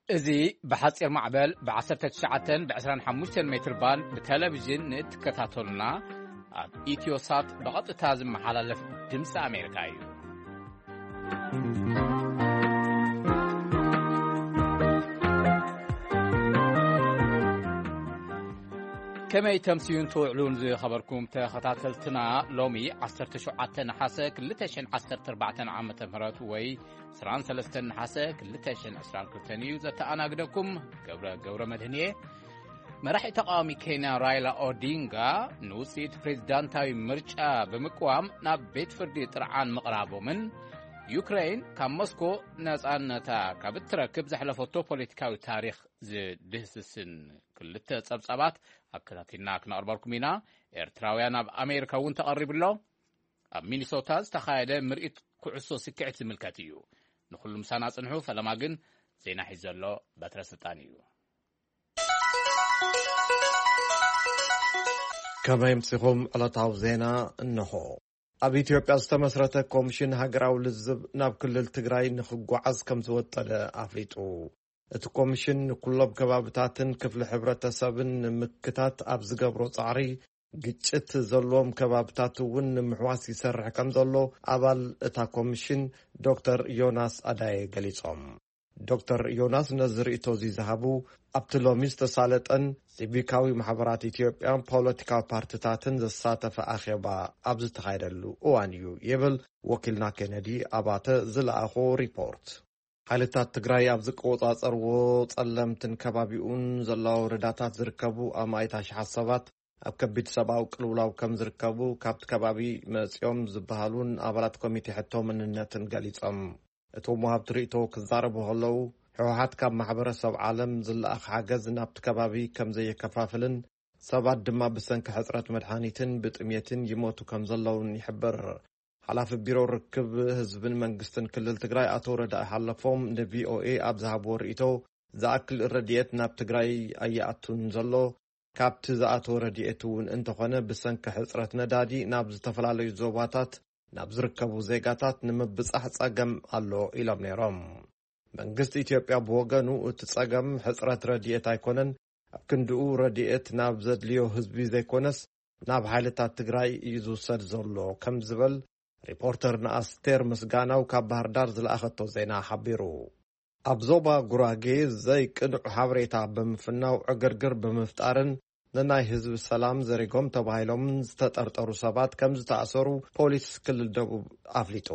እዚ ብሓጺር ማዕበል ብ19 ብ25 ሜትር ባንድ ብቴሌቪዥን ንእትከታተሉና ኣብ ኢትዮሳት ብቐጥታ ዝመሓላለፍ ድምፂ ኣሜሪካ እዩ። ከመይ ተምስዩን ትውዕሉን ዝኸበርኩም ተኸታተልትና፣ ሎሚ 17 ነሓሰ 2014 ዓመተ ምህረት ወይ 23 ነሓሰ 2022 እዩ። ዘተኣናግደኩም ገብረ ገብረ መድህን እየ። መራሒ ተቃዋሚ ኬንያ ራይላ ኦዲንጋ ንውፅኢት ፕሬዝዳንታዊ ምርጫ ብምቅዋም ናብ ቤት ፍርዲ ጥርዓን ምቕራቦምን ዩክሬን ካብ ሞስኮ ነፃነታ ካብ እትረክብ ዘሕለፈቶ ፖለቲካዊ ታሪኽ ዝድህስስን ክልተ ጸብጻባት ኣከታቲልና ክነቕርበልኩም ኢና። ኤርትራውያን ኣብ ኣሜሪካ እውን ተቐሪቡ ኣሎ። ኣብ ሚኒሶታ ዝተኻየደ ምርኢት ኩዕሶ ስክዕት ዝምልከት እዩ። ንኹሉ ምሳና ጽንሑ። ፈለማ ግን ዜና ሒዙ ዘሎ በትረ ስልጣን እዩ። ከመይ ኣምሲኹም? ዕለታዊ ዜና እንሆ። ኣብ ኢትዮጵያ ዝተመስረተ ኮሚሽን ሃገራዊ ልዝብ ናብ ክልል ትግራይ ንኽጓዓዝ ከም ዝወጠነ ኣፍሊጡ። እቲ ኮሚሽን ንኩሎም ከባብታትን ክፍሊ ሕብረተሰብን ንምክታት ኣብ ዝገብሮ ጻዕሪ፣ ግጭት ዘለዎም ከባብታት እውን ንምሕዋስ ይሰርሕ ከም ዘሎ ኣባል እታ ኮሚሽን ዶክተር ዮናስ ኣዳየ ገሊጾም። ዶክተር ዮናስ ነዚ ርእይቶ እዚ ዝሃቡ ኣብቲ ሎሚ ዝተሳለጠን ሲቪካዊ ማሕበራት ኢትዮጵያን ፖለቲካዊ ፓርትታትን ዘሳተፈ ኣኼባ ኣብ ዝተኻየደሉ እዋን እዩ ይብል ወኪልና ኬነዲ ኣባተ ዝለኣኾ ሪፖርት። ሓይልታት ትግራይ ኣብ ዝቆጻጸርዎ ጸለምትን ከባቢኡን ዘለዋ ወረዳታት ዝርከቡ ኣማኢት ኣሽሓት ሰባት ኣብ ከቢድ ሰብኣዊ ቅልውላው ከም ዝርከቡ ካብቲ ከባቢ መጺኦም ዝበሃሉን ኣባላት ኮሚቴ ሕቶ መንነትን ገሊጾም። እቶም ወሃብቲ ርእይቶ ክዛረቡ ከለዉ፣ ህወሓት ካብ ማሕበረሰብ ዓለም ዝለኣኽ ሓገዝ ናብቲ ከባቢ ከም ዘየከፋፍልን ሰባት ድማ ብሰንኪ ሕጽረት መድሃኒትን ብጥሜትን ይሞቱ ከም ዘለውን ይሕብር። ሓላፊ ቢሮ ርክብ ህዝብን መንግስትን ክልል ትግራይ ኣቶ ረዳኢ ሓለፎም ንቪኦኤ ኣብ ዝሃብዎ ርእይቶ፣ ዝኣክል ረድኤት ናብ ትግራይ ኣይኣቱን ዘሎ፣ ካብቲ ዝኣተወ ረድኤት እውን እንተኾነ ብሰንኪ ሕጽረት ነዳዲ ናብ ዝተፈላለዩ ዞባታት ናብ ዝርከቡ ዜጋታት ንምብጻሕ ጸገም ኣሎ ኢሎም ነይሮም። መንግስቲ ኢትዮጵያ ብወገኑ እቲ ጸገም ሕጽረት ረድኤት ኣይኮነን፣ ኣብ ክንድኡ ረድኤት ናብ ዘድልዮ ህዝቢ ዘይኮነስ ናብ ሓይልታት ትግራይ እዩ ዝውሰድ ዘሎ ከም ዝበል ሪፖርተርና ኣስቴር ምስጋናው ካብ ባህር ዳር ዝለኣኸቶ ዜና ሓቢሩ። ኣብ ዞባ ጉራጌ ዘይቅኑዕ ሓበሬታ ብምፍናው ዕግርግር ብምፍጣርን ንናይ ህዝቢ ሰላም ዘሪጎም ተባሂሎምን ዝተጠርጠሩ ሰባት ከም ዝተኣሰሩ ፖሊስ ክልል ደቡብ ኣፍሊጡ።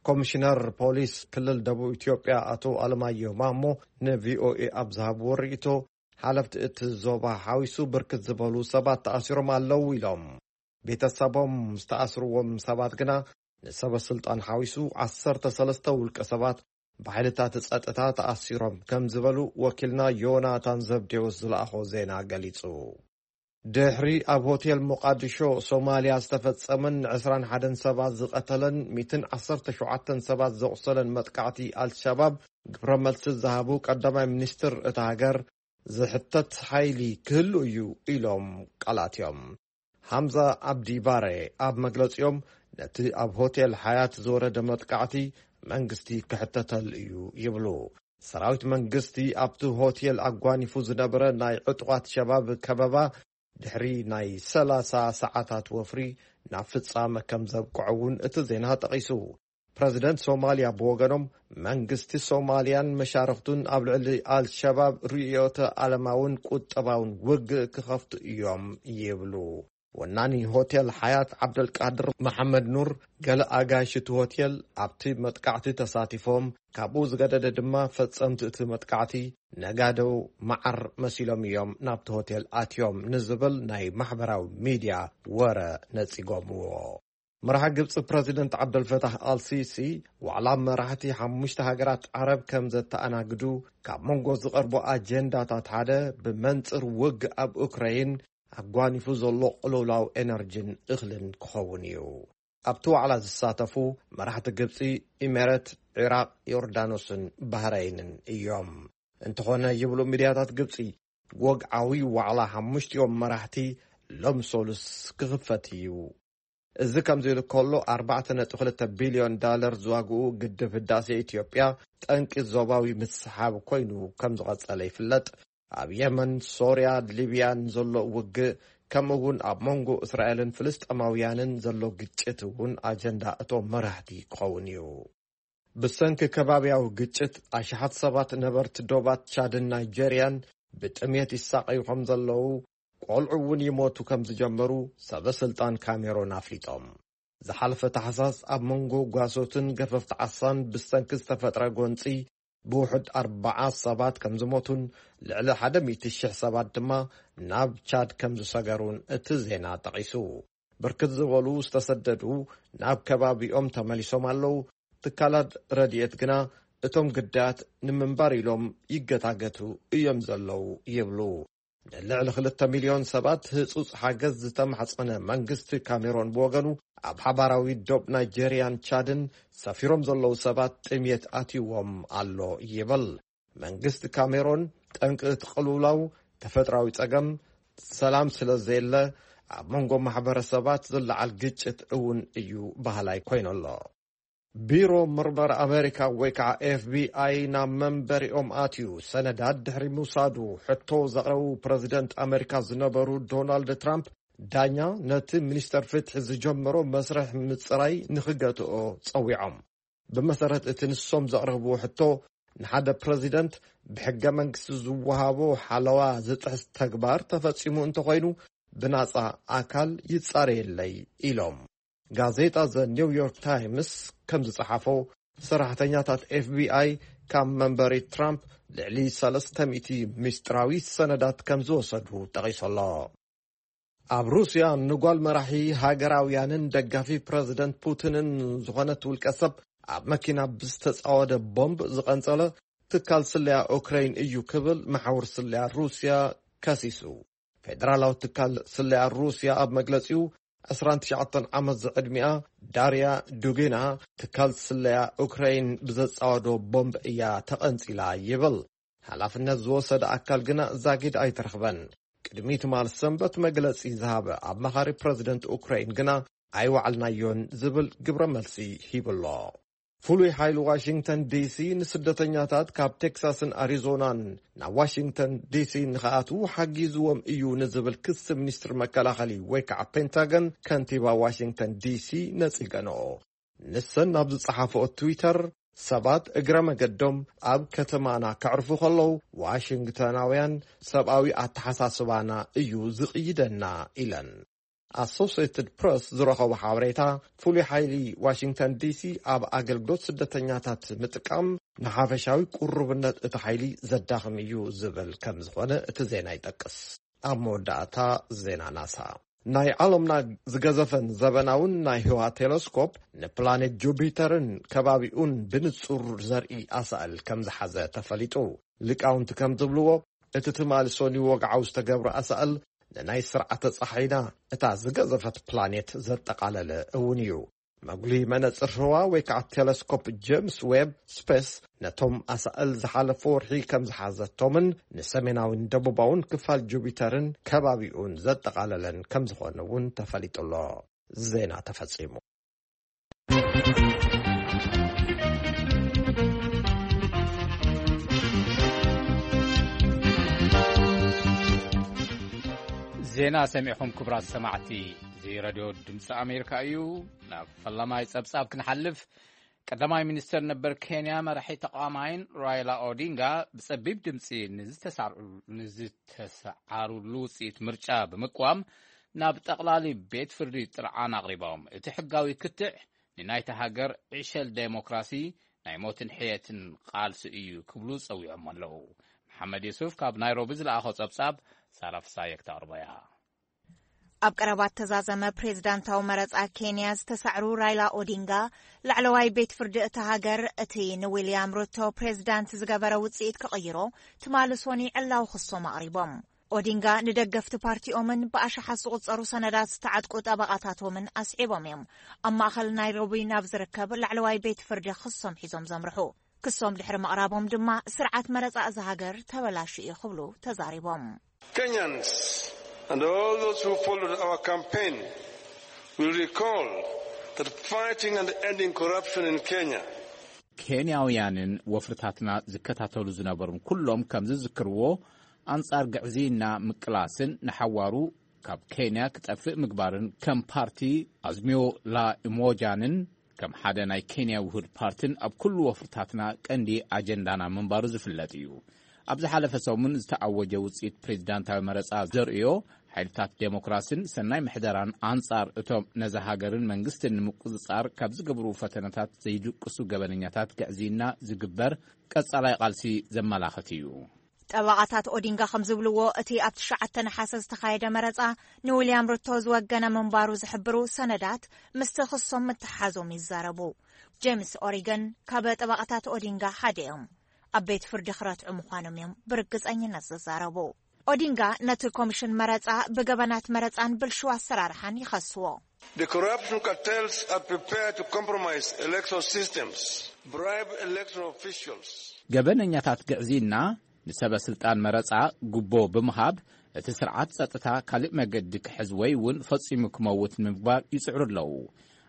ኮሚሽነር ፖሊስ ክልል ደቡብ ኢትዮጵያ ኣቶ ኣለማየሁ ማሞ ንቪኦኤ ኣብ ዝሃብዎ ርእይቶ፣ ሓለፍቲ እቲ ዞባ ሓዊሱ ብርክት ዝበሉ ሰባት ተኣሲሮም ኣለዉ ኢሎም። ቤተሰቦም ዝተኣስርዎም ሰባት ግና ንሰበ ስልጣን ሓዊሱ 13 ውልቀ ሰባት ብሓይልታት ጸጥታ ተኣሲሮም ከም ዝበሉ ወኪልና ዮናታን ዘብዴዎስ ዝለኣኾ ዜና ገሊጹ። ድሕሪ ኣብ ሆቴል ሞቃዲሾ ሶማልያ ዝተፈጸመን ን21 ሰባት ዝቐተለን ሚእትን ዓሰርተ ሸውዓተን ሰባት ዘቑሰለን መጥቃዕቲ ኣልሸባብ ግብረ መልሲ ዝሃቡ ቀዳማይ ሚኒስትር እታ ሃገር ዝሕተት ሓይሊ ክህሉ እዩ ኢሎም ቃላትዮም። ሃምዛ ኣብዲ ባረ ኣብ መግለጺኦም ነቲ ኣብ ሆቴል ሓያት ዝወረደ መጥቃዕቲ መንግስቲ ክሕተተሉ እዩ ይብሉ። ሰራዊት መንግስቲ ኣብቲ ሆቴል ኣጓኒፉ ዝነበረ ናይ ዕጡቓት ሸባብ ከበባ ድሕሪ ናይ 30 ሰዓታት ወፍሪ ናብ ፍጻመ ከም ዘብቅዖ እውን እቲ ዜና ጠቒሱ። ፕረዚደንት ሶማልያ ብወገኖም መንግስቲ ሶማልያን መሻርኽቱን ኣብ ልዕሊ ኣልሸባብ ርእዮተ ዓለማውን ቁጠባውን ውግእ ክኸፍቱ እዮም ይብሉ። ወናኒ ሆቴል ሓያት ዓብደልቃድር መሓመድ ኑር፣ ገለ ኣጋይሽ እቲ ሆቴል ኣብቲ መጥቃዕቲ ተሳቲፎም፣ ካብኡ ዝገደደ ድማ ፈጸምቲ እቲ መጥቃዕቲ ነጋዶ መዓር መሲሎም እዮም ናብቲ ሆቴል ኣትዮም ንዝብል ናይ ማሕበራዊ ሚድያ ወረ ነጺጎምዎ። መራሒ ግብጺ ፕረዚደንት ዓብደልፈታህ ኣልሲሲ ዋዕላ መራሕቲ ሓሙሽተ ሃገራት ዓረብ ከም ዘተኣናግዱ፣ ካብ መንጎ ዝቐርቡ ኣጀንዳታት ሓደ ብመንጽር ውግእ ኣብ ኡክራይን ኣጓኒፉ ዘሎ ቅልውላው ኤነርጂን እኽልን ክኸውን እዩ። ኣብቲ ዋዕላ ዝሳተፉ መራሕቲ ግብጺ፣ ኢሜረት፣ ዒራቕ፣ ዮርዳኖስን ባህረይንን እዮም። እንተኾነ ይብሉ ሚድያታት ግብጺ፣ ወግዓዊ ዋዕላ ሓሙሽቲኦም መራሕቲ ሎም ሶሉስ ክኽፈት እዩ። እዚ ከምዚ ኢሉ ከሎ፣ ኣርባዕተ ነጥቢ ክልተ ቢልዮን ዳለር ዝዋግኡ ግድብ ህዳሴ ኢትዮጵያ ጠንቂ ዞባዊ ምስሓብ ኮይኑ ከም ዝቐጸለ ይፍለጥ። ኣብ የመን፣ ሶርያ፣ ሊብያን ዘሎ ውግእ፣ ከምኡ እውን ኣብ መንጎ እስራኤልን ፍልስጤማውያንን ዘሎ ግጭት እውን ኣጀንዳ እቶም መራሕቲ ክኸውን እዩ። ብሰንኪ ከባብያዊ ግጭት፣ ኣሽሓት ሰባት ነበርቲ ዶባት ቻድን ናይጀርያን ብጥሜት ይሳቐዩ ከም ዘለዉ፣ ቆልዑ እውን ይሞቱ ከም ዝጀመሩ ሰበ ስልጣን ካሜሮን ኣፍሊጦም። ዝሓለፈ ታሕሳስ፣ ኣብ መንጎ ጓሶትን ገፈፍቲ ዓሳን ብሰንኪ ዝተፈጥረ ጎንጺ፣ ብውሑድ ኣርባዓ ሰባት ከም ዝሞቱን ልዕሊ ሓደ ሚእቲ ሽሕ ሰባት ድማ ናብ ቻድ ከም ዝሰገሩን እቲ ዜና ጠቒሱ። ብርክት ዝበሉ ዝተሰደዱ ናብ ከባቢኦም ተመሊሶም ኣለዉ። ትካላት ረድኤት ግና እቶም ግዳያት ንምንባር ኢሎም ይገታገቱ እዮም ዘለዉ ይብሉ። ንልዕሊ ክልተ ሚልዮን ሰባት ህጹጽ ሓገዝ ዝተማሕጸነ መንግስቲ ካሜሮን ብወገኑ፣ ኣብ ሓባራዊ ዶብ ናይጄርያን ቻድን ሰፊሮም ዘለዉ ሰባት ጥሜት ኣትይዎም ኣሎ ይብል። መንግስቲ ካሜሮን፣ ጠንቂ እቲ ቅልውላው ተፈጥራዊ ጸገም ሰላም ስለ ዘየለ፣ ኣብ መንጎ ማሕበረሰባት ዝለዓል ግጭት እውን እዩ በሃላይ ኮይኑ ኣሎ። ቢሮ ምርመራ ኣሜሪካ ወይ ከዓ ኤፍ ቢ ኣይ ናብ መንበሪኦም ኣትዩ ሰነዳት ድሕሪ ምውሳዱ፣ ሕቶ ዘቕረቡ ፕረዚደንት ኣሜሪካ ዝነበሩ ዶናልድ ትራምፕ፣ ዳኛ ነቲ ሚኒስተር ፍትሒ ዝጀመሮ መስርሕ ምጽራይ ንኽገትኦ ጸዊዖም። ብመሰረት እቲ ንሶም ዘቕረብዎ ሕቶ፣ ንሓደ ፕረዚደንት ብሕገ መንግስቲ ዝወሃቦ ሓለዋ ዝጥሕስ ተግባር ተፈጺሙ እንተኾይኑ፣ ብናጻ ኣካል ይጻረየለይ ኢሎም። ጋዜጣ ዘ ኒው ዮርክ ታይምስ ከም ዝጸሓፎ፣ ሰራሕተኛታት ኤፍ ቢ ኣይ ካብ መንበሪ ትራምፕ ልዕሊ ሰለስተ ሚእቲ ምስጢራዊ ሰነዳት ከም ዝወሰዱ ጠቒሱ ኣሎ። ኣብ ሩስያ፣ ንጓል መራሒ ሃገራውያንን ደጋፊ ፕረዚደንት ፑቲንን ዝኾነት ውልቀ ሰብ፣ ኣብ መኪና ብዝተጻወደ ቦምብ ዝቐንጸለ ትካል ስለያ ኡክረይን እዩ ክብል መሓውር ስለያ ሩስያ ከሲሱ። ፌደራላዊ ትካል ስለያ ሩስያ ኣብ መግለጺኡ፣ ዕስራን ትሽዓተን ዓመት ዝዕድሚኣ ዳርያ ዱጊና፣ ትካል ስለያ ኡክረይን ብዘጻወዶ ቦምብ እያ ተቐንጺላ ይብል። ሓላፍነት ዝወሰደ ኣካል ግና ዛጊድ ኣይተረኽበን። ቅድሚ ትማል ሰንበት መግለጺ ዝሃበ ኣማኻሪ ፕረዚደንት ኡክራይን ግና፣ ኣይወዓልናዮን ዝብል ግብረ መልሲ ሂብሎ። ፍሉይ ሓይሊ ዋሽንግተን ዲ ሲ ንስደተኛታት ካብ ቴክሳስን ኣሪዞናን ናብ ዋሽንግተን ዲ ሲ ንኽኣትዉ ሓጊዝዎም እዩ ንዝብል ክሲ፣ ሚኒስትሪ መከላኸሊ ወይ ከዓ ፔንታገን፣ ከንቲባ ዋሽንግተን ዲ ሲ ነጺገንኦ። ንሰን ኣብ ዝጸሓፍኦ ትዊተር፣ ሰባት እግረ መገዶም ኣብ ከተማና ከዕርፉ ከለዉ፣ ዋሽንግተናውያን ሰብኣዊ ኣተሓሳስባና እዩ ዝቕይደና ኢለን። ኣሶሲየትድ ፕረስ ዝረኸቦ ሓበሬታ፣ ፍሉይ ሓይሊ ዋሽንግተን ዲ ሲ ኣብ ኣገልግሎት ስደተኛታት ምጥቃም ንሓፈሻዊ ቁርብነት እቲ ሓይሊ ዘዳኽም እዩ ዝብል ከም ዝኾነ እቲ ዜና ይጠቅስ። ኣብ መወዳእታ፣ ዜና ናሳ። ናይ ዓለምና ዝገዘፈን ዘበናውን ናይ ህዋ ቴለስኮፕ ንፕላኔት ጁፒተርን ከባቢኡን ብንጹር ዘርኢ ኣሳእል ከም ዝሓዘ ተፈሊጡ። ሊቃውንቲ ከም ዝብልዎ፣ እቲ ትማሊ ሰኑይ ወግዓዊ ዝተገብረ ኣሳእል ንናይ ስርዓተ ጸሓይና እታ ዝገዘፈት ፕላኔት ዘጠቓለለ እውን እዩ። መጉሊ መነጽር ህዋ ወይ ከዓ ቴለስኮፕ ጀምስ ዌብ ስፔስ ነቶም ኣሳእል ዝሓለፈ ወርሒ ከም ዝሓዘቶምን ንሰሜናውን ደቡባውን ክፋል ጁፒተርን ከባቢኡን ዘጠቓለለን ከም ዝኾነ እውን ተፈሊጡ ኣሎ። ዜና ተፈጺሙ። ዜና ሰሚዕኹም ክቡራት ሰማዕቲ፣ እዚ ረድዮ ድምፂ ኣሜሪካ እዩ። ናብ ፈላማይ ጸብጻብ ክንሓልፍ፣ ቀዳማይ ሚኒስተር ነበር ኬንያ መራሒ ተቃዋማይን ራይላ ኦዲንጋ ብጸቢብ ድምፂ ንዝተሳዕሩ-፣ ንዝተሰዓሩሉ ውፅኢት ምርጫ ብምቅዋም ናብ ጠቕላሊ ቤት ፍርዲ ጥርዓን ኣቕሪቦም። እቲ ሕጋዊ ክትዕ ንናይታ ሃገር ዕሸል ዴሞክራሲ ናይ ሞትን ሕየትን ቃልሲ እዩ ክብሉ ጸዊዖም ኣለዉ። መሓመድ የሱፍ ካብ ናይሮቢ ዝለኣኾ ጸብጻብ ሳራ ፍሳየ ክተቕርቦ እያ። ኣብ ቀረባ እተዛዘመ ፕሬዝዳንታዊ መረጻ ኬንያ ዝተሳዕሩ ራይላ ኦዲንጋ፣ ላዕለዋይ ቤት ፍርዲ እታ ሃገር እቲ ንዊልያም ሩቶ ፕሬዝዳንት ዝገበረ ውጽኢት ክቕይሮ ትማሊ ሶኒ ዕላዊ ክሶም ኣቕሪቦም። ኦዲንጋ ንደገፍቲ ፓርቲኦምን ብኣሽሓት ዝቑጸሩ ሰነዳት ዝተዓጥቁ ጠበቓታቶምን ኣስዒቦም እዮም ኣብ ማእኸል ናይሮቢ ናብ ዝርከብ ላዕለዋይ ቤት ፍርዲ ክሶም ሒዞም ዘምርሑ። ክሶም ድሕሪ ምቕራቦም ድማ፣ ስርዓት መረጻ እዛ ሃገር ተበላሹ እዩ ክብሉ ተዛሪቦም። Kenyans and all those who followed our campaign We recall that fighting and ending corruption in Kenya. ኬንያውያንን ወፍርታትና ዝከታተሉ ዝነበሩን ኩሎም ከም ዝዝክርዎ፣ ኣንጻር ግዕዝይና ምቅላስን ንሓዋሩ ካብ ኬንያ ክጠፍእ ምግባርን ከም ፓርቲ ኣዝሚዮ ላ ኢሞጃንን ከም ሓደ ናይ ኬንያ ውሁድ ፓርትን ኣብ ኩሉ ወፍርታትና ቀንዲ ኣጀንዳና ምንባሩ ዝፍለጥ እዩ። ኣብ ዝሓለፈ ሰሙን ዝተኣወጀ ውጽኢት ፕሬዚዳንታዊ መረጻ ዘርእዮ፣ ሓይልታት ዴሞክራሲን ሰናይ ምሕደራን ኣንጻር እቶም ነዛ ሃገርን መንግስትን ንምቁጽጻር ካብ ዝገብሩ ፈተነታት ዘይድቅሱ ገበነኛታት ግዕዝይና ዝግበር ቀጻላይ ቃልሲ ዘመላኽት እዩ። ጠበቓታት ኦዲንጋ ከም ዝብልዎ፣ እቲ ኣብ ትሽዓተ ነሓሰ ዝተኻየደ መረጻ ንዊልያም ሩቶ ዝወገነ ምንባሩ ዝሕብሩ ሰነዳት ምስቲ ክሶም ምትሓዞም ይዛረቡ። ጄምስ ኦሪገን ካብ ጠበቓታት ኦዲንጋ ሓደ እዮም። ኣብ ቤት ፍርዲ ክረትዑ ምዃኖም እዮም ብርግጸኝነት ዝዛረቡ። ኦዲንጋ ነቲ ኮሚሽን መረጻ ብገበናት መረጻን ብልሽው ኣሰራርሓን ይኸስዎ። The corruption cartels are prepared to compromise electoral systems, bribe electoral officials. ገበነኛታት ግዕዝይና ንሰበ ስልጣን መረጻ ጉቦ ብምሃብ እቲ ስርዓት ጸጥታ ካልእ መገዲ ክሕዝ ወይ እውን ፈጺሙ ክመውት ንምግባር ይጽዕሩ ኣለዉ።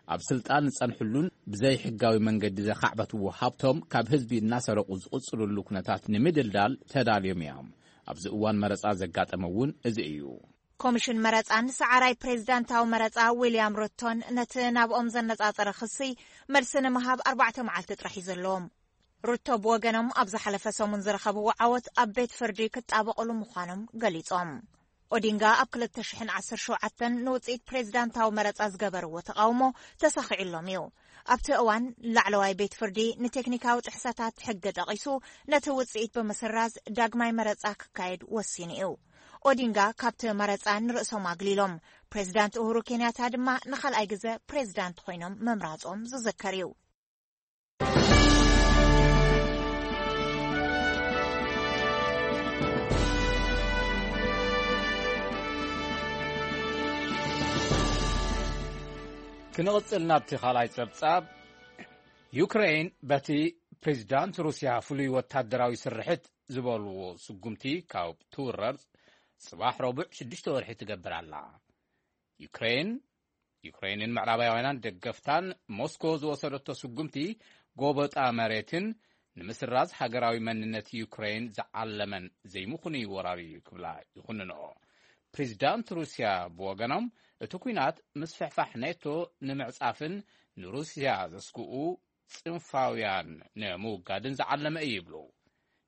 ኣብ ስልጣን ዝጸንሕሉን ብዘይ ሕጋዊ መንገዲ ዘኻዕበትዎ ሃብቶም ካብ ህዝቢ እናሰረቑ ዝቕጽልሉ ኩነታት ንምድልዳል ተዳልዮም እዮም። ኣብዚ እዋን መረጻ ዘጋጠመ እውን እዚ እዩ። ኮሚሽን መረጻን ሰዓራይ ፕሬዚዳንታዊ መረጻ ዊልያም ሩቶን ነቲ ናብኦም ዘነጻጸረ ክሲ መልሲ ንምሃብ ኣርባዕተ መዓልቲ ጥራሕ እዩ ዘለዎም። ሩቶ ብወገኖም ኣብ ዝሓለፈ ሰሙን ዝረኸብዎ ዓወት ኣብ ቤት ፍርዲ ክጣበቕሉ ምዃኖም ገሊጾም። ኦዲንጋ ኣብ ክልተ ሽሕን ዓሰርተ ሸውዓተን ንውጽኢት ፕሬዚዳንታዊ መረጻ ዝገበርዎ ተቓውሞ ተሳኺዑሎም እዩ። ኣብቲ እዋን ላዕለዋይ ቤት ፍርዲ ንቴክኒካዊ ጥሕሰታት ሕጊ ጠቒሱ ነቲ ውጽኢት ብምስራዝ ዳግማይ መረጻ ክካየድ ወሲኑ እዩ። ኦዲንጋ ካብቲ መረጻ ንርእሶም ኣግሊሎም፣ ፕሬዚዳንት ኡሁሩ ኬንያታ ድማ ንኻልኣይ ግዘ ፕሬዚዳንት ኮይኖም ምምራጾም ዝዝከር እዩ። ክንቕጽል ናብቲ ካልኣይ ጸብጻብ። ዩክሬን በቲ ፕሬዚዳንት ሩስያ ፍሉይ ወታደራዊ ስርሕት ዝበልዎ ስጉምቲ ካብ ትውረር ጽባሕ ረቡዕ ሽዱሽተ ወርሒ ትገብር ኣላ። ዩክሬን ዩክሬንን ምዕራባውያንን ደገፍታን ሞስኮ ዝወሰደቶ ስጉምቲ ጎበጣ መሬትን ንምስራዝ ሃገራዊ መንነት ዩክሬን ዝዓለመን ዘይምኹኑ እዩ ወራሪ ክብላ ይኹንንኦ። ፕሬዚዳንት ሩስያ ብወገኖም እቲ ኲናት ምስፍሕፋሕ ኔቶ ንምዕጻፍን ንሩስያ ዘስግኡ ጽንፋውያን ንምውጋድን ዝዓለመ እዩ ይብሉ።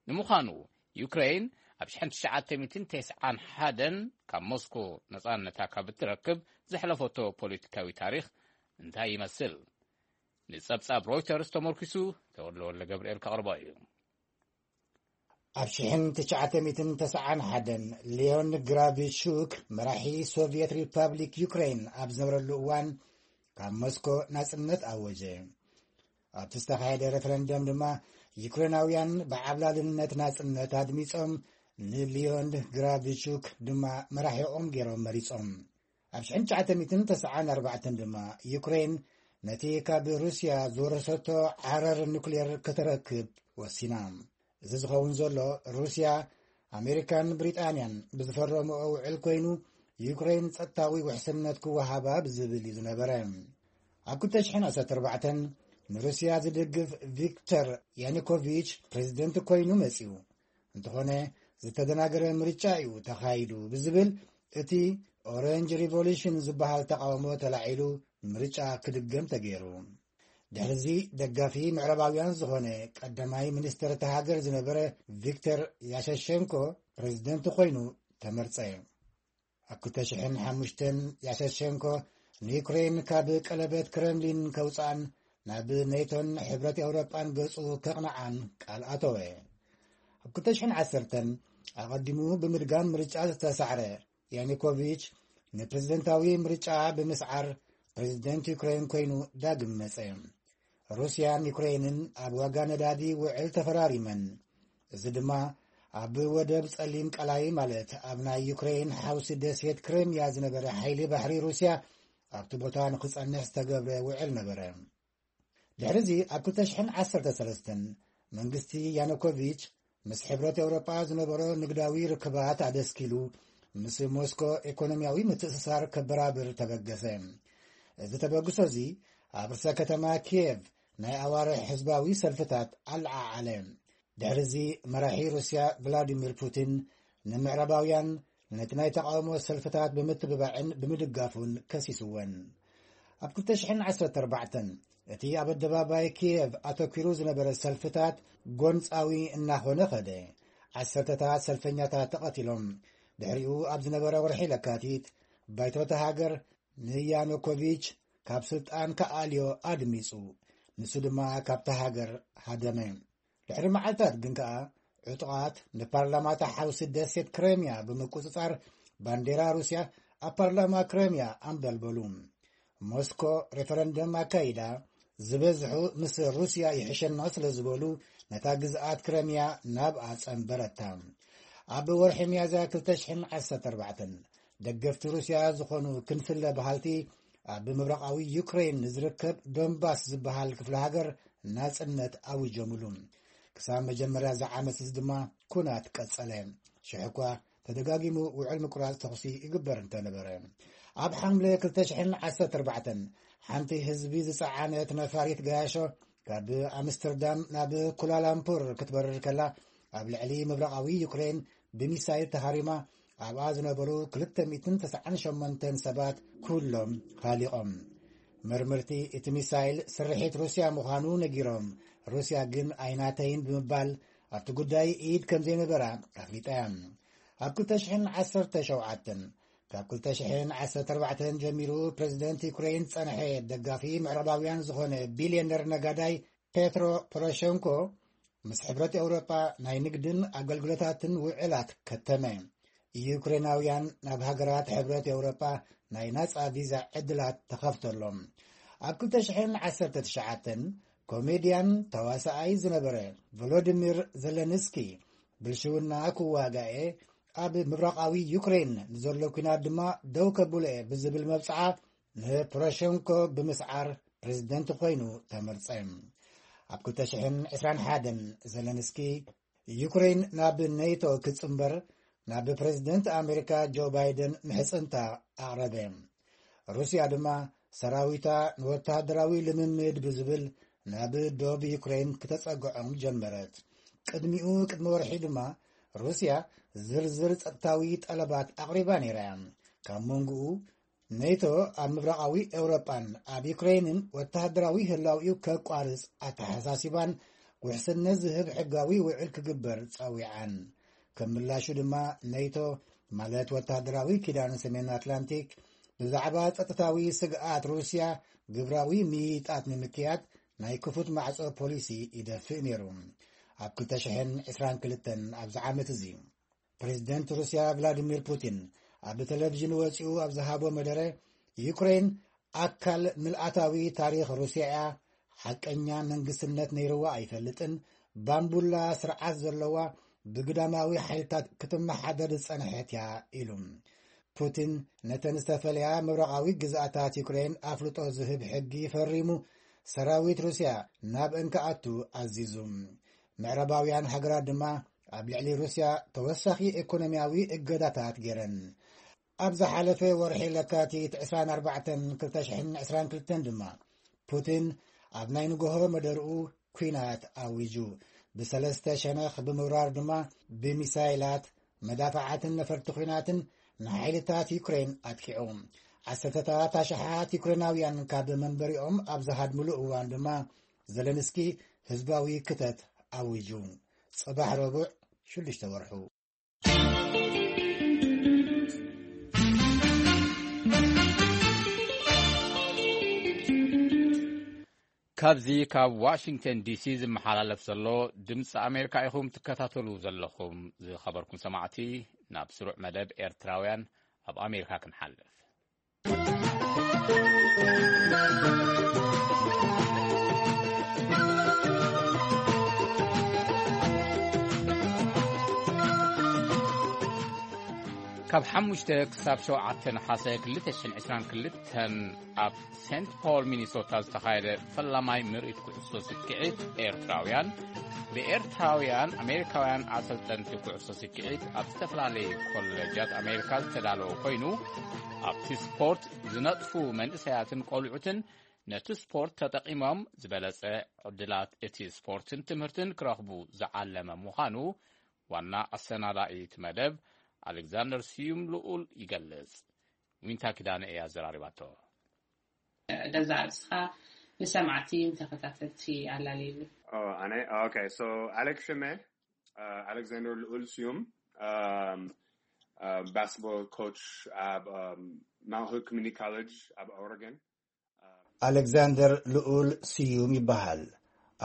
ንምዃኑ ዩክሬን ኣብ ሽሕን ትሽዓተ ሚእትን ተስዓን ሓደን ካብ ሞስኮ ነጻነታ ካብ እትረክብ ዘሕለፈቶ ፖለቲካዊ ታሪኽ እንታይ ይመስል? ንጸብጻብ ሮይተርስ ተመርኪሱ ተወልደ ወልደ ገብርኤል ከቕርቦ እዩ። ኣብ ሽሕን ትሽዓተ ሚእትን ተስዓን ሓደን ሊዮን ግራቪቹክ መራሒ ሶቪየት ሪፓብሊክ ዩክሬን ኣብ ዝነበረሉ እዋን ካብ ሞስኮ ናጽነት ኣወጀ። ኣብቲ ዝተኻየደ ሬፈረንደም ድማ ዩክሬናውያን ብዓብላልነት ናጽነት ኣድሚጾም ንሊዮን ግራቪቹክ ድማ መራሒኦም ገይሮም መሪጾም። ኣብ ሽሕን ትሽዓተ ሚእትን ተስዓን ኣርባዕተን ድማ ዩክሬን ነቲ ካብ ሩስያ ዝወረሰቶ ዓረር ኑክሌር ከተረክብ ወሲና። እዚ ዝኸውን ዘሎ ሩስያ ኣሜሪካን ብሪጣንያን ብዝፈረምኦ ውዕል ኮይኑ ዩክሬን ጸጥታዊ ውሕስነት ክወሃባ ብዝብል እዩ ዝነበረ። ኣብ ክልተ ሽሕን ዓሰርተ ኣርባዕተን ንሩስያ ዝድግፍ ቪክተር ያኒኮቪች ፕሬዝደንት ኮይኑ መጺኡ። እንተኾነ ዝተደናገረ ምርጫ እዩ ተኻይዱ ብዝብል እቲ ኦረንጅ ሪቮሉሽን ዝበሃል ተቃውሞ ተላዒሉ ምርጫ ክድገም ተገይሩ። ድሕሪዚ ደጋፊ ምዕራባውያን ዝኾነ ቀዳማይ ሚኒስተር እታ ሃገር ዝነበረ ቪክተር ያሸሸንኮ ፕሬዝደንት ኮይኑ ተመርጸ። ኣብ ክልተ ሽሕን ሓሙሽተን ያሸሸንኮ ንዩክሬን ካብ ቀለበት ክረምሊን ከውፅኣን ናብ ኔቶን ሕብረት ኤውሮጳን ገጹ ከቕንዓን ቃል ኣተወ። ኣብ ክልተ ሽሕን ዓሰርተን ኣቐዲሙ ብምድጋም ምርጫ ዝተሳዕረ ያኒኮቪች ንፕሬዝደንታዊ ምርጫ ብምስዓር ፕሬዝደንት ዩክሬን ኮይኑ ዳግም መጸ። ሩስያን ዩክሬንን ኣብ ዋጋ ነዳዲ ውዕል ተፈራሪመን። እዚ ድማ ኣብ ወደብ ጸሊም ቀላይ ማለት ኣብ ናይ ዩክሬን ሓውሲ ደሴት ክሬምያ ዝነበረ ሓይሊ ባሕሪ ሩስያ ኣብቲ ቦታ ንኽጸንሕ ዝተገብረ ውዕል ነበረ። ድሕሪዚ ኣብ ክልተ ሽሕን ዓሰርተ ሰለስተን መንግስቲ ያኑኮቪች ምስ ሕብረት ኤውሮጳ ዝነበሮ ንግዳዊ ርክባት ኣደስኪሉ ምስ ሞስኮ ኢኮኖሚያዊ ምትእስሳር ከበራብር ተበገሰ። እዚ ተበግሶ እዚ ኣብ ርእሰ ከተማ ኪየቭ ናይ ኣዋርሕ ህዝባዊ ሰልፍታት ኣለዓዓለ። ድሕሪ እዚ መራሒ ሩስያ ቭላዲሚር ፑቲን ንምዕራባውያን ነቲ ናይ ተቓውሞ ሰልፍታት ብምትብባዕን ብምድጋፉን ከሲስወን። ኣብ ክልተ ሽሕን ዓሰርተ ኣርባዕተን እቲ ኣብ ኣደባባይ ኪየቭ ኣተኲሩ ዝነበረ ሰልፍታት ጎንጻዊ እናኾነ ኸደ። ዓሰርተታት ሰልፈኛታት ተቐቲሎም። ድሕሪኡ ኣብ ዝነበረ ወርሒ ለካቲት ባይቶ እታ ሃገር ንያኑኮቪች ካብ ስልጣን ክኣልዮ ኣድሚጹ። ንሱ ድማ ካብታ ሃገር ሃደመ። ድሕሪ መዓልታት ግን ከኣ ዕጡቓት ንፓርላማታ ሓውሲ ደሴት ክሬምያ ብምቁጽጻር ባንዴራ ሩስያ ኣብ ፓርላማ ክሬምያ ኣንበልበሉ። ሞስኮ ሬፈረንደም ኣካይዳ፣ ዝበዝሑ ምስ ሩስያ ይሕሸና ስለ ዝበሉ ነታ ግዝኣት ክረምያ ናብኣ ጸንበረታ። ኣብ ወርሒ ሚያዝያ ክልተ ሽሕን ዓሰርተ ኣርባዕተን ደገፍቲ ሩስያ ዝኾኑ ክንፍለ በሃልቲ ኣብ ምብራቓዊ ዩክሬን ንዝርከብ ዶንባስ ዝበሃል ክፍለ ሃገር ናጽነት ኣዊጆምሉ። ክሳብ መጀመርያ እዚ ዓመት እዚ ድማ ኩናት ቀጸለ። ሽሕ እኳ ተደጋጊሙ ውዕል ምቁራጽ ተኹሲ ይግበር እንተነበረ፣ ኣብ ሓምለ ክልተ ሽሕን ዓሰርተ ኣርባዕተን ሓንቲ ህዝቢ ዝጸዓነት ነፋሪት ገያሾ ካብ ኣምስተርዳም ናብ ኩላላምፑር ክትበርር ከላ፣ ኣብ ልዕሊ ምብራቓዊ ዩክሬን ብሚሳይል ተሃሪማ፣ ኣብኣ ዝነበሩ ክልተ ሚእትን ተስዓን ሸሞንተን ሰባት ኩሎም ሃሊቖም። መርመርቲ እቲ ሚሳይል ስርሒት ሩስያ ምዃኑ ነጊሮም፣ ሩስያ ግን ኣይናተይን ብምባል ኣብቲ ጉዳይ ኢድ ከም ዘይነበራ ኣፍሊጣ እያ። ኣብ ክልተ ሽሕን ዓሰርተ ሸውዓተን ካብ ክልተ ሽሕን ዓሰርተ ኣርባዕተን ጀሚሩ ፕረዚደንት ዩክሬን ዝጸንሐ ደጋፊ ምዕራባውያን ዝኾነ ቢልዮነር ነጋዳይ ፔትሮ ፖሮሸንኮ ምስ ሕብረት ኤውሮጳ ናይ ንግድን ኣገልግሎታትን ውዕላት ከተመ። ዩክሬናውያን ናብ ሃገራት ሕብረት ኤውሮጳ ናይ ናጻ ቪዛ ዕድላት ተኸፍተሎም። ኣብ ክልተ ሽሕን ዓሰርተ ትሽዓተን ኮሜድያን ተዋሳኣይ ዝነበረ ቮሎዲሚር ዘለንስኪ ብልሽውና ክዋጋኤ ኣብ ምብራቓዊ ዩክሬን ንዘሎ ኲናት ድማ ደው ከብሎ እየ ብዝብል መብጽዓ ንፖሮሸንኮ ብምስዓር ፕሬዝደንት ኮይኑ ተመርጸ። ኣብ ክልተ ሽሕን ዕስራን ሓደን ዘለንስኪ ዩክሬን ናብ ኔቶ ክትጽንበር ናብ ፕሬዝደንት ኣሜሪካ ጆ ባይደን ምሕጽንታ ኣቕረበ። ሩስያ ድማ ሰራዊታ ንወተሃደራዊ ልምምድ ብዝብል ናብ ዶብ ዩክሬን ክተጸግዖም ጀመረት። ቅድሚኡ ቅድሚ ወርሒ ድማ ሩስያ ዝርዝር ጸጥታዊ ጠለባት ኣቕሪባ ነይራ እያ። ካብ መንጎኡ ኔቶ ኣብ ምብራቓዊ ኤውሮጳን ኣብ ዩክሬንን ወተሃደራዊ ህላውኡ ከቋርጽ ኣተሓሳሲባን ውሕስነት ዝህብ ሕጋዊ ውዕል ክግበር ጸዊዓን። ከም ምላሹ ድማ ኔቶ ማለት ወተሃደራዊ ኪዳን ሰሜን ኣትላንቲክ ብዛዕባ ጸጥታዊ ስግኣት ሩስያ ግብራዊ ምይይጣት ንምክያድ ናይ ክፉት ማዕጾ ፖሊሲ ይደፍእ ነይሩ። ኣብ ክልተ ሽሕን ዕስራን ክልተን ኣብዚ ዓመት እዚ ፕሬዝደንት ሩስያ ቭላዲሚር ፑቲን ኣብ ቴሌቪዥን ወጺኡ ኣብ ዝሃቦ መደረ፣ ዩክሬን ኣካል ምልኣታዊ ታሪኽ ሩስያ እያ፣ ሓቀኛ መንግስትነት ነይርዋ ኣይፈልጥን፣ ባምቡላ ስርዓት ዘለዋ ብግዳማዊ ሓይልታት ክትመሓደር ዝጸንሐት እያ ኢሉ። ፑቲን ነተን ዝተፈለያ ምብራቓዊ ግዝኣታት ዩክሬን ኣፍልጦ ዝህብ ሕጊ ፈሪሙ ሰራዊት ሩስያ ናብአን ክኣቱ ኣዚዙ። ምዕራባውያን ሃገራት ድማ ኣብ ልዕሊ ሩስያ ተወሳኺ ኢኮኖሚያዊ እገዳታት ገይረን። ኣብ ዝሓለፈ ወርሒ ለካቲት ዕስራን ኣርባዕተን ክልተ ሽሕን ዕስራን ክልተን ድማ ፑቲን ኣብ ናይ ንግሆ መደርኡ ኲናት ኣዊጁ። ብሰለስተ ሸነኽ ብምውራር ድማ ብሚሳይላት፣ መዳፍዓትን ነፈርቲ ኲናትን ንሓይልታት ዩክሬን ኣጥቂዑ። ዓሰርተታት ኣሽሓት ዩክሬናውያን ካብ መንበሪኦም ኣብ ዝሃድምሉ እዋን ድማ ዘለንስኪ ህዝባዊ ክተት ኣዊጁ። ጽባሕ ረቡዕ ሽዱሽተ ወርሑ። ካብዚ ካብ ዋሽንግተን ዲሲ ዝመሓላለፍ ዘሎ ድምፂ ኣሜሪካ ኢኹም ትከታተሉ ዘለኹም። ዝኸበርኩም ሰማዕቲ፣ ናብ ስሩዕ መደብ ኤርትራውያን ኣብ ኣሜሪካ ክንሓልፍ። ካብ ሓሙሽተ ክሳብ ሸውዓተ ነሓሰ ክልተ ሽሕን ዕስራን ክልተን ኣብ ሴንት ፖል ሚኒሶታ ዝተኻየደ ፈላማይ ምርኢት ኩዕሶ ስክዒት ኤርትራውያን፣ ብኤርትራውያን ኣሜሪካውያን ኣሰልጠንቲ ኩዕሶ ስክዒት ኣብ ዝተፈላለዩ ኮሌጃት ኣሜሪካ ዝተዳለወ ኮይኑ፣ ኣብቲ ስፖርት ዝነጥፉ መንእሰያትን ቆልዑትን ነቲ ስፖርት ተጠቒሞም ዝበለጸ ዕድላት እቲ ስፖርትን ትምህርትን ክረኽቡ ዝዓለመ ምዃኑ ዋና ኣሰናዳኢት መደብ ኣሌክዛንደር ስዩም ልኡል ይገልጽ። ዊንታ ኪዳነ እያ ዘራሪባቶ። ደዛ ኣርእስኻ ንሰማዕቲ ንተኸታተልቲ ኣላልየሉ። Oh, ኣነ? Okay, so ኣሌክ ሽመ፣ uh, ኣሌክዛንደር ልኡል ስዩም፣ um, uh, basketball coach ኣብ um, Mount Hood Community College ኣብ ኦረገን። ኣሌክዛንደር ልኡል ስዩም ይበሃል።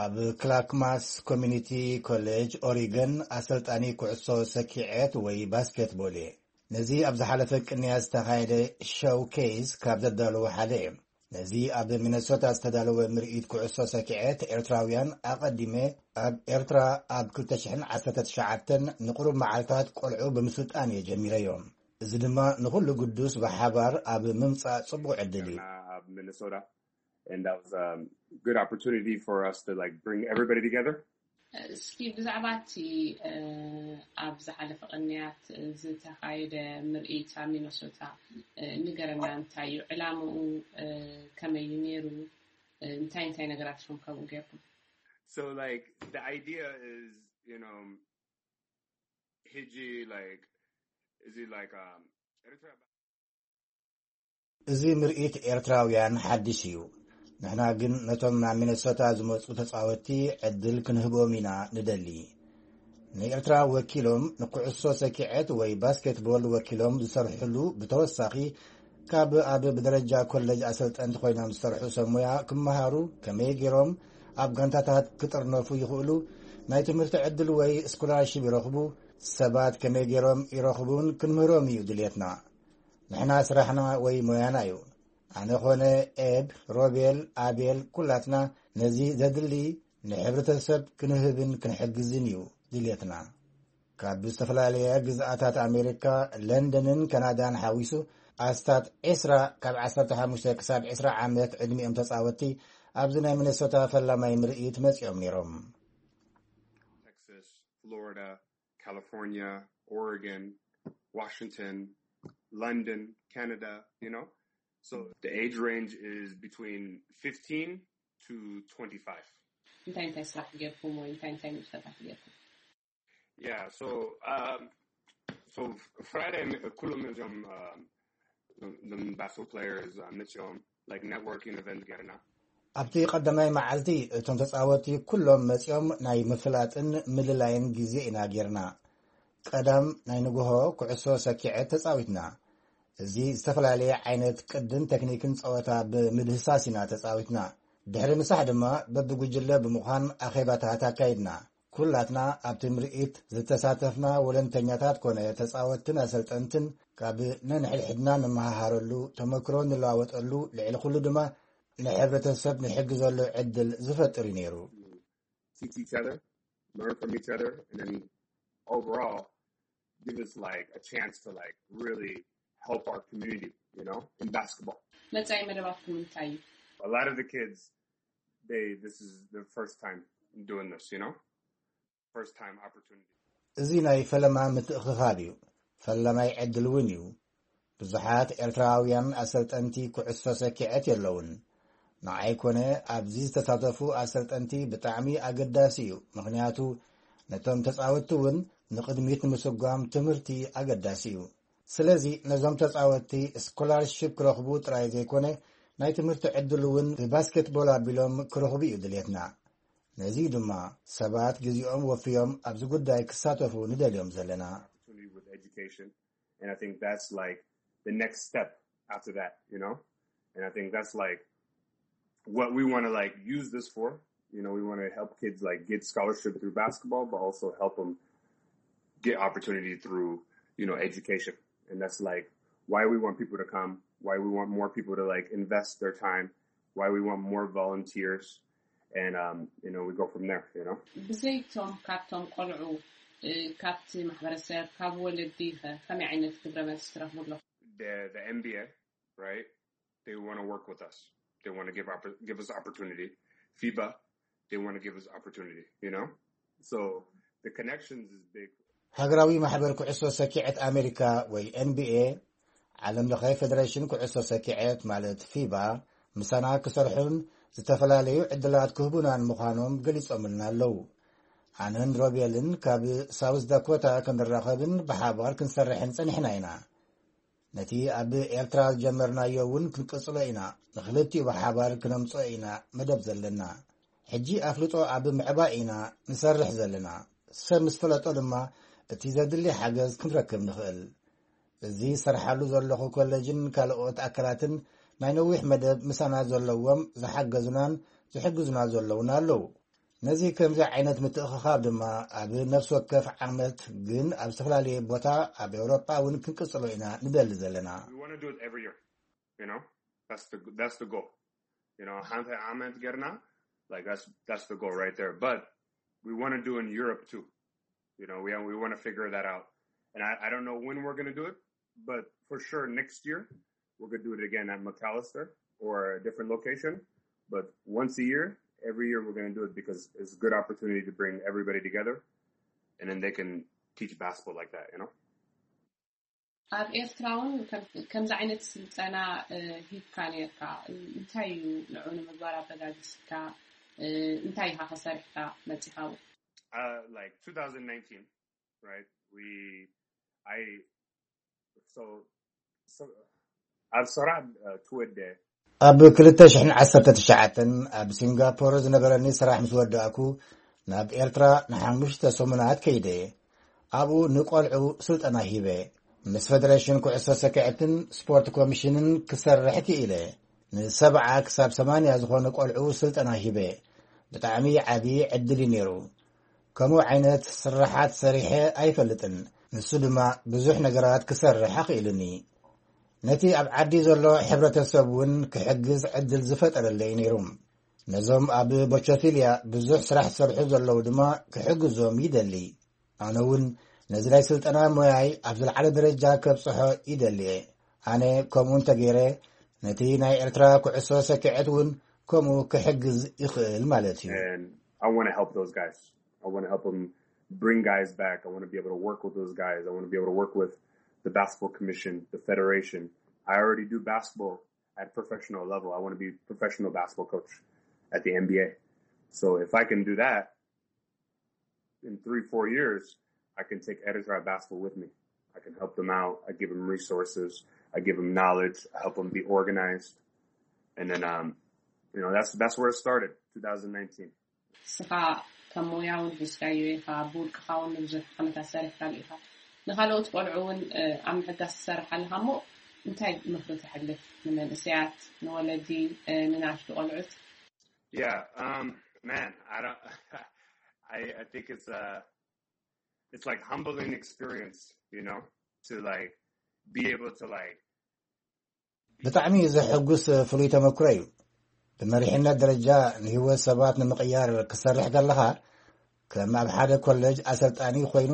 ኣብ ክላክማስ ኮሚኒቲ ኮሌጅ ኦሪገን ኣሰልጣኒ ኩዕሶ ሰኪዔት ወይ ባስኬትቦል እየ። ነዚ ኣብ ዝሓለፈ ቅንያ ዝተኻየደ ሾው ኬይስ ካብ ዘዳለዉ ሓደ እየ። ነዚ ኣብ ሚነሶታ ዝተዳለወ ምርኢት ኩዕሶ ሰኪዔት ኤርትራውያን ኣቐዲመ ኣብ ኤርትራ ኣብ ክልተ ሽሕን ዓሰርተ ትሽዓተን ንቕሩብ መዓልታት ቆልዑ ብምስልጣን እየ ጀሚረዮ። እዚ ድማ ንኹሉ ግዱስ ብሓባር ኣብ ምምጻእ ጽቡቕ ዕድል እዩ። ኣብ ሚነሶታ and that was a good opportunity for us to like bring everybody together. እስኪ ብዛዕባ እቲ ኣብ ዝሓለፈ ቅንያት ዝተኻየደ ምርኢት ኣብ ሚነሶታ ንገረና። እንታይ እዩ ዕላምኡ? ከመይ እዩ ነይሩ? እንታይ እንታይ ነገራት ኢኹም ከምኡ ጌርኩም? So like the idea is, you know, ሕጂ like እዚ like um, ኤርትራ እዚ ምርኢት ኤርትራውያን ሓድሽ እዩ። ንሕና ግን ነቶም ናብ ሚነሶታ ዝመጹ ተጻወትቲ ዕድል ክንህቦም ኢና ንደሊ። ንኤርትራ ወኪሎም ንኩዕሶ ሰኪዐት ወይ ባስኬትቦል ወኪሎም ዝሰርሕሉ ብተወሳኺ ካብ ኣብ ብደረጃ ኮሌጅ ኣሰልጠንቲ ኮይኖም ዝሰርሑ ሰብ ሞያ ክመሃሩ፣ ከመይ ገይሮም ኣብ ጋንታታት ክጥርነፉ ይኽእሉ፣ ናይ ትምህርቲ ዕድል ወይ ስኮላርሺፕ ይረኽቡ፣ ሰባት ከመይ ገይሮም ይረኽቡን ክንምህሮም እዩ ድልየትና። ንሕና ስራሕና ወይ ሞያና እዩ። ኣነ ኾነ ኤብ፣ ሮቤል፣ ኣቤል ኩላትና ነዚ ዘድሊ ንሕብረተሰብ ክንህብን ክንሕግዝን እዩ ድልየትና። ካብ ዝተፈላለያ ግዝኣታት ኣሜሪካ፣ ለንደንን ካናዳን ሓዊሱ ኣስታት ዕስራ ካብ ዓሰርተ ሓሙሽተ ክሳብ ዕስራ ዓመት ዕድሚኦም ተጻወትቲ ኣብዚ ናይ ሚነሶታ ፈላማይ ምርኢት መጺኦም ነይሮም። Texas, Florida, California, Oregon, Washington, London, Canada, you know? So the age range is between fifteen to twenty-five. እንታይ እንታይ ስራሕ ጌርኩም ወይ እንታይ እንታይ ንጥፈታት ጌርኩም? Yeah, so um, so Friday ኩሎም እዞም um, the basketball players uh, መፅኦም like networking event ጌርና። ኣብቲ ቀዳማይ መዓልቲ እቶም ተጻወትቲ ኩሎም መጺኦም ናይ ምፍላጥን ምልላይን ግዜ ኢና ጌርና። ቀዳም ናይ ንግሆ ኩዕሶ ሰኪዐት ተጻዊትና። እዚ ዝተፈላለየ ዓይነት ቅድን ቴክኒክን ጸወታ ብምድህሳስ ኢና ተጻዊትና። ድሕሪ ምሳሕ ድማ በብጉጅለ ብምዃን ኣኼባታት ኣካይድና። ኩላትና ኣብቲ ምርኢት ዝተሳተፍና ወለንተኛታት ኮነ ተጻወትትን ኣሰልጠንትን ካብ ነንሕድሕድና ንመሃሃረሉ፣ ተመክሮ ንለዋወጠሉ፣ ልዕሊ ኩሉ ድማ ንሕብረተሰብ ንሕግዘሉ ዕድል ዝፈጥር እዩ ነይሩ። Teach each other, learn from each other, and then overall give us like a chance to like really help our community, you know, in basketball. መጻኢ መደባትኩም እንታይ እዩ? A lot of the kids, they this is their first time doing this, you know, first time opportunity. እዚ ናይ ፈለማ ምትእኽኻብ እዩ። ፈላማይ ዕድል እውን እዩ። ብዙሓት ኤርትራውያን ኣሰልጠንቲ ኩዕሶ ሰኪዐት የለውን። ንዓይ ኮነ ኣብዚ ዝተሳተፉ ኣሰልጠንቲ ብጣዕሚ ኣገዳሲ እዩ። ምኽንያቱ ነቶም ተጻወትቲ እውን ንቕድሚት ንምስጓም ትምህርቲ ኣገዳሲ እዩ። ስለዚ ነዞም ተጻወትቲ ስኮላርሺፕ ክረኽቡ ጥራይ ዘይኮነ ናይ ትምህርቲ ዕድል እውን ብባስኬትቦል ኣቢሎም ክረኽቡ እዩ ድልየትና። ነዚ ድማ ሰባት ግዜኦም ወፍዮም ኣብዚ ጉዳይ ክሳተፉ ንደልዮም ዘለና። Opportunity with education, and I think that's like the next step after that, you know. And I think that's like what we want to like use this for. You know, we want to help kids like get scholarship through basketball, but also help them get opportunity through, you know, education. And that's like why we want people to come, why we want more people to like invest their time, why we want more volunteers, and um, you know, we go from there. You know. ብዘይቶም ካብቶም ቆልዑ ካብቲ ማሕበረሰብ ካብ ወለዲ ከ ከመይ ዓይነት ግብረ መልሲ ትረኽቡ ኣለኹ? The, the N B A, right? They want to work with us. They want to give oppor- give us opportunity. FIBA, they want to give us opportunity. You know, so the connections is big. ሃገራዊ ማሕበር ኩዕሶ ሰኪዐት ኣሜሪካ ወይ ኤንቢኤ፣ ዓለም ለኸ ፌደሬሽን ኩዕሶ ሰኪዐት ማለት ፊባ፣ ምሳና ክሰርሑን ዝተፈላለዩ ዕድላት ክህቡናን ምዃኖም ገሊጾምልና ኣለዉ። ኣነን ሮቤልን ካብ ሳውዝ ዳኮታ ክንራኸብን ብሓባር ክንሰርሕን ጸኒሕና ኢና። ነቲ ኣብ ኤርትራ ዝጀመርናዮ እውን ክንቅጽሎ ኢና። ንክልቲኡ ብሓባር ክነምጽኦ ኢና መደብ ዘለና። ሕጂ ኣፍልጦ ኣብ ምዕባይ ኢና ንሰርሕ ዘለና። ሰብ ምስ ፈለጦ ድማ እቲ ዘድሊ ሓገዝ ክንረክብ ንኽእል። እዚ ሰርሓሉ ዘለኹ ኮሌጅን ካልኦት ኣካላትን ናይ ነዊሕ መደብ ምሳና ዘለዎም ዝሓገዙናን ዝሕግዙና ዘለውን ኣለዉ። ነዚ ከምዚ ዓይነት ምትእኽኻብ ድማ ኣብ ነፍሲ ወከፍ ዓመት ግን ኣብ ዝተፈላለየ ቦታ ኣብ ኤውሮጳ እውን ክንቅጽሎ ኢና ንደሊ ዘለና። We want to do it every year. You know, that's the that's the goal. You know, ሓንቲ ዓመት ጌርና, like that's that's the goal right there. But we want to do in Europe too. You know, we we want to figure that out. And I, I don't know when we're gonna do it, but for sure next year we're gonna do it again at McAllister or a different location. But once a year, every year we're gonna do it because it's a good opportunity to bring everybody together, and then they can teach basketball like that. You know. ኣብ ኤርትራ እውን ከም- ከምዚ ዓይነት ስልጠና እ፣ ሂብካ ነርካ። እንታይ እዩ ንዑ ንምግባር ኣበጋጊስካ? እ፣ እንታይ ኢኻ ከሰሪሕካ መፂኻ? Uh, like twenty nineteen, right? We, I, so, so ኣብ ሰራዕ ትወደ ኣብ ክልተ ሽሕን ዓሰርተ ትሽዓተን ኣብ ሲንጋፖር ዝነበረኒ ስራሕ ምስ ወዳእኩ ናብ ኤርትራ ንሓሙሽተ ሰሙናት ከይደ። ኣብኡ ንቆልዑ ስልጠና ሂበ። ምስ ፌደሬሽን ኩዕሶ ሰኪዐትን ስፖርት ኮሚሽንን ክሰርሕ ክኢለ። ንሰብዓ ክሳብ ሰማንያ ዝኾኑ ቆልዑ ስልጠና ሂበ። ብጣዕሚ ዓቢ ዕድል እዩ ነይሩ። ከምኡ ዓይነት ስራሓት ሰሪሐ ኣይፈልጥን። ንሱ ድማ ብዙሕ ነገራት ክሰርሕ ኣኽኢሉኒ። ነቲ ኣብ ዓዲ ዘሎ ሕብረተሰብ እውን ክሕግዝ ዕድል ዝፈጠረለይ ነይሩ። ነዞም ኣብ ቦቸፊልያ ብዙሕ ስራሕ ዝሰርሑ ዘለዉ ድማ ክሕግዞም ይደሊ። ኣነ እውን ነዚ ናይ ስልጠና ሞያይ ኣብ ዝለዓለ ደረጃ ከብፅሖ ይደሊ እየ። ኣነ ከምኡ እንተገይረ ነቲ ናይ ኤርትራ ኩዕሶ ሰኪዐት እውን ከምኡ ክሕግዝ ይኽእል ማለት እዩ። And I want to help those guys. I want to help them bring guys back. I want to be able to work with those guys. I want to be able to work with the basketball commission, the federation. I already do basketball at professional level. I want to be a professional basketball coach at the N B A. So if I can do that in three, four years, I can take Eritrea basketball with me. I can help them out. I give them resources. I give them knowledge. I help them be organized. And then, um, you know, that's that's where it started, twenty nineteen. ንስኻ ከም ሞያ እውን ሒዝካዮ ኢኻ፣ ብውልቅኻ እውን ንብዙሕ ዓመታት ሰሪሕካሉ ኢኻ። ንኻልኦት ቆልዑ እውን ኣብ ምሕጋዝ ትሰርሕ ኣለኻ እሞ እንታይ ምኽሪ ተሕልፍ ንመንእሰያት፣ ንወለዲ፣ ንናሽቱ ቆልዑት? Yeah, um, man, I don't, I, I think it's a, it's like humbling experience, you know, to like be able to like ብጣዕሚ ዘሐጉስ ፍሉይ ተመክሮ እዩ። ብመሪሕነት ደረጃ ንህይወት ሰባት ንምቕያር ክሰርሕ ከለኻ ከም ኣብ ሓደ ኮለጅ ኣሰልጣኒ ኮይኑ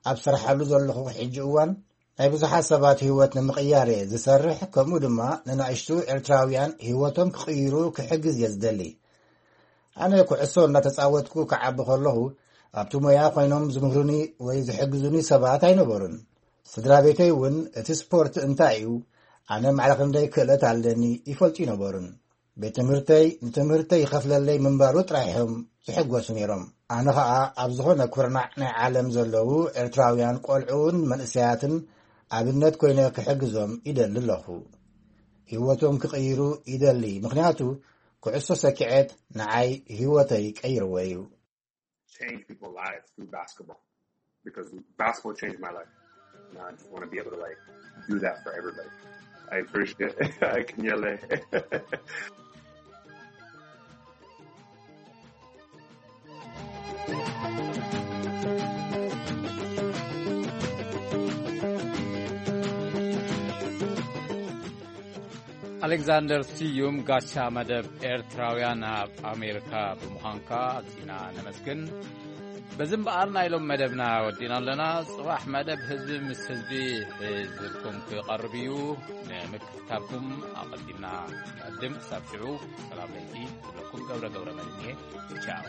ኣብ ስርሓሉ ዘለኹ ሕጂ እዋን ናይ ብዙሓት ሰባት ህይወት ንምቕያር እየ ዝሰርሕ። ከምኡ ድማ ንናእሽቱ ኤርትራውያን ህይወቶም ክቕይሩ ክሕግዝ እየ ዝደሊ። ኣነ ኩዕሶ እናተጻወትኩ ክዓቢ ከለኹ ኣብቲ ሞያ ኮይኖም ዝምህሩኒ ወይ ዝሕግዙኒ ሰባት ኣይነበሩን። ስድራ ቤተይ እውን እቲ ስፖርት እንታይ እዩ፣ ኣነ ማዕረ ክንደይ ክእለት ኣለኒ ይፈልጡ ይነበሩን። ቤት ትምህርተይ ንትምህርተይ ይኸፍለለይ ምንባሩ ጥራይ እዮም ዝሕጎሱ ነይሮም። ኣነ ኸኣ ኣብ ዝኾነ ኩርናዕ ናይ ዓለም ዘለዉ ኤርትራውያን ቆልዑን መንእሰያትን ኣብነት ኮይነ ክሕግዞም ይደሊ ኣለኹ። ህይወቶም ክቕይሩ ይደሊ፣ ምኽንያቱ ኩዕሶ ሰኪዐት ንዓይ ህይወተይ ቀይርዎ እዩ። Change people's lives through basketball because basketball changed my life. And I just want to be able to like do that for everybody. I appreciate it. I can yell it. ኣሌክዛንደር ስዩም፣ ጋሻ መደብ ኤርትራውያን ኣብ ኣሜሪካ ብምዃንካ ኣዚና ነመስግን። በዚ እምበኣር ናይ ሎም መደብና ወዲና ኣለና። ጽባሕ መደብ ህዝቢ ምስ ህዝቢ ሒዝልኩም ክቐርብ እዩ። ንምክትታልኩም ኣቐዲምና ንዕድም። ክሳብ ሽዑ ሰላም ለይቲ ክብለኩም ገብረ ገብረ መድህን እየ። ቻው።